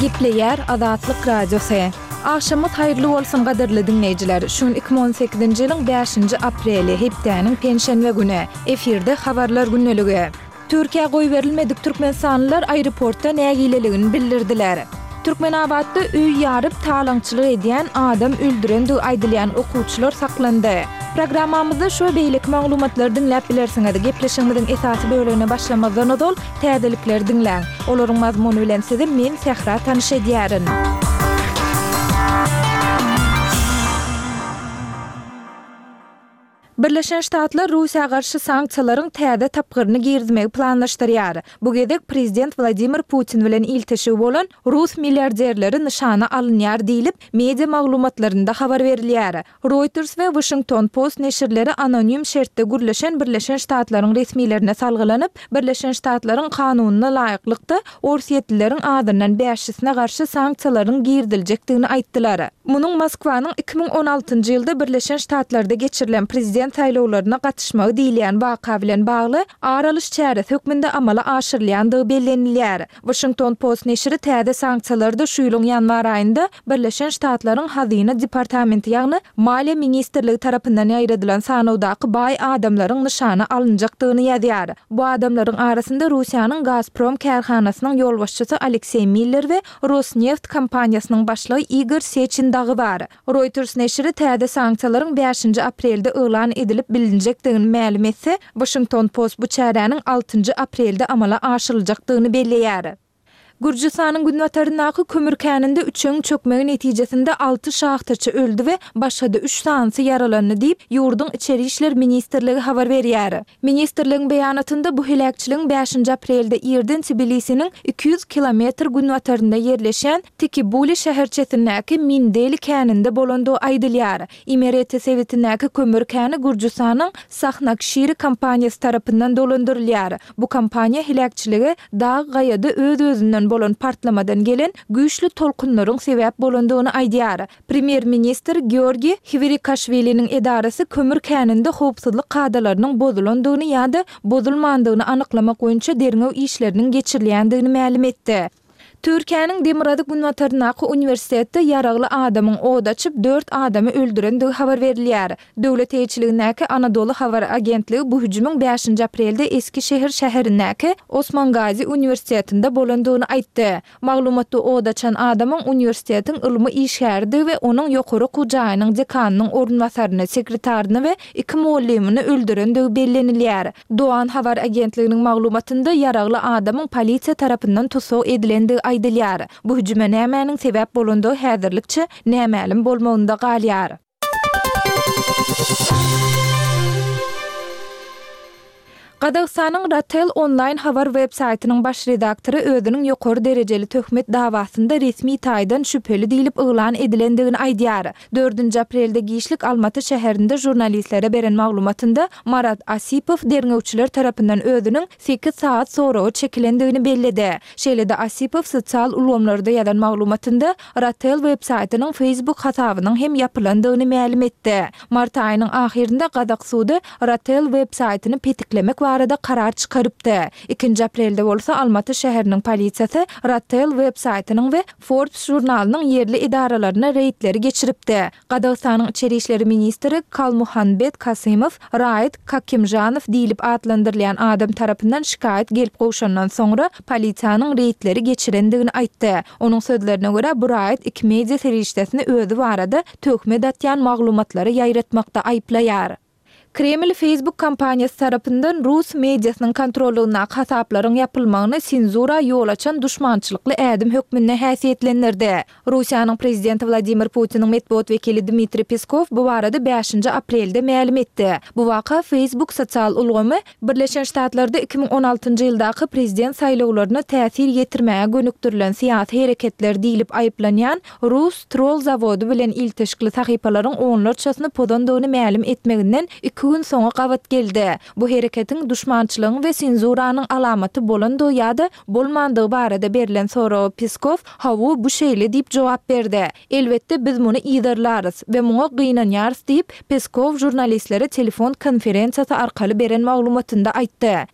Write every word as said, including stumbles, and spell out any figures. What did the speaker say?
Gepleyer Azatlyk Radiosu. Akşamyz haýyrly bolsun gaderli dinleýijiler. Şun iki bin on sekizinji ýylyň beşinji apreli hepdeniň penşenbe güni. Efirde habarlar günneligi. Türkiýe goý berilmedik türkmenstanlylar aeroportda nägileligini bildirdiler. Türkmenabadda üý ýaryp talaňçylyk edýän adam öldüren diýip aýdylýan okuwçylar saklandy. Programmamyzda şu beýlik maglumatlar dinläp bilersiňiz. Gepleşigimiziň esasy bölümine başlamazdan öňe täzelikler dinläň. Olaryň mazmuny bilen sizi men Sehra tanyş edýärin. Birleşen Ştatlar Rusiýa garşy sanksiýalaryň täze tapgyryny girdmegi planlaşdyrýar. Bu gedek prezident Vladimir Putin bilen iltişi bolan Rus milliarderleri nişana alınýar diýilip media maglumatlarynda habar berilýär. Reuters we Washington Post neşirleri anonim şertde gürleşen Birleşen Ştatlaryň resmilerine salgylanyp, Birleşen Ştatlaryň kanunyna laýyklykda Orsiýetlileriň adından beşisine garşy sanksiýalaryň girdiljekdigini aýtdylar. Munyň Moskwanyň iki bin on altynjy ýylda Birleşen Ştatlarda geçirilen prezident saýlawlaryna gatnaşmagy diýilen waka bilen bagly aralyş çäresi hökmünde amala aşyrylýandygy bellenilýär. Washington Post neşri täze sanksiýalarda şu ýylyň ýanwar aýynda Birleşen Ştatlaryň Hazyna departamenti ýagny Maliýe ministrligi tarapyndan ýaýradylan sanawdaky baý adamlaryň nişana alınjakdygyny ýazýar. Bu adamlaryň arasynda Rusiýanyň Gazprom karhanasynyň ýolbaşçysy Aleksey Miller we Rosneft kompaniýasynyň başlygy Igor Sechin dagy bar. Reuters neşri täze sanksiýalaryň beşinji aprelde elan edilip bilinjekdigini ma'lum etse, Washington Post bu çäräniň altynjy aprelde amala aşyryljakdygyny belleýär. Gürjistanyň Günwataryndaky kömür käninde üçüň çökmegi netijesinde altı şahtaçy öldü we başga da üç sansy yaralandy diýip ýurduň içeri işler ministrligi habar berýär. Ministrligiň beýanatynda bu helakçylygyň beşinji aprelde ýerden Tbilisiniň iki yüz kilometr günwatarynda ýerleşen Tikibuli şäherçesindäki Mindeli käninde bolandy aýdylýar. İmereti sewitindäki kömür käni Gürjistanyň Sahnakşiri kompaniýasy tarapyndan dolandyrylýar. Bu kompaniýa helakçyligi dağ gaýada öz-özünden bolan partlamadan gelen güýçli tolkunlaryň sebäp bolandygyny aýdýar. Premier minister Georgi Hvirikashviliň edarasy kömür käninde howpsuzlyk kadalarynyň bozulandygyny ýa-da bozulmandygyny anyklamak boýunça derňew işleriniň geçirilýändigini ma'lum etdi. Türkiýanyň Demirady Günwataryndaky universitetde ýaragly adamyň od açyp dört adamy öldürendigi habar berilýär. Döwlet eýçiligindäki Anadolu Habar agentligi bu hüjümüň beşinji aprelde Eskişehir şäherindäki Osman Gazi universitetinde bolandygyny aýtdy. Maglumatda od açan adamyň universitetiň ylmy işgärdi we onuň ýokary gujaýynyň dekanynyň ornwasaryny, sekretaryny we iki muallimini öldürendigi bellenilýär. Doğan Habar agentliginiň maglumatynda ýaragly adamyň polisiýa tarapyndan tutsag edilendigi aýdylýar. Bu hüjüme nämäniň sebäp bolandygy häzirlikçe nämälim bolmagynda galýar. Qazaqstanyň Ratel online habar web saytynyň baş redaktory özüniň ýokary derejeli töhmet dawasynda resmi taýdan şüpheli diýilip elan edilendigini aýdýar. dördünji aprelde Giýişlik Almaty şäherinde jurnalistlere beren maglumatynda Marat Asipow derňewçiler tarapyndan özüniň sekiz saat sonra çekilendigini belledi. Şeýle-de Asipow sosial ulamlarda ýazan maglumatynda Ratel web saytynyň Facebook hasabynyň hem ýapylandygyny ma'lum etdi. Mart aýynyň ahirinde Qazaq sudy Ratel web saytyny petiklemek arada karar çıkarıpdy. ikinji aprelde bolsa Almaty şäheriniň polisiýasy Ratel web saytynyň we Forbes jurnalynyň yerli idaralaryna reýdleri geçiripdi. Qazaqstanyň içeri işleri ministri Kalmuhanbet Kasymow Raid Kakimjanow diýilip adlandyrylýan adam tarapyndan şikayet gelip goşandan soňra polisiýanyň reýdleri geçirendigini aýtdy. Onuň sözlerine görä bu Raid iki media serişdesini özü barada töhmet atýan maglumatlary ýaýratmakda aýplaýar. Kreml Facebook kampaniýasy tarapyndan Rus mediasynyň kontrolyna hasaplaryň ýapylmagyny senzura ýol açan düşmançylykly ädim hökmüne häsiýetlendirdi. Rusiýanyň prezidenti Vladimir Putiniň medeniýet wekili Dmitri Peskov bu barada beşinji aprelde ma'lum etdi. Bu waka Facebook sosial ulgamy Birleşen Ştatlarda iki bin on altynjy ýyldaky prezident saýlawlaryna täsir ýetirmäge gönükdirilen siýasy hereketler diýilip aýplanýan Rus troll zawody bilen ilteşikli sahypalaryň onlarçasyny pozandygyny ma'lum etmeginden gün soňa gabat geldi. Bu hereketiň düşmançylygyň we senzuranyň alamaty bolandy ýa-da bolmandygy barada berilen soraw Peskov hawu bu şeýle diýip jogap berdi. Elbetde biz muny ýydarlarys we muňa gynanýarys diýip Peskov jurnalistlere telefon konferensiýasy arkaly beren maglumatynda aýtdy.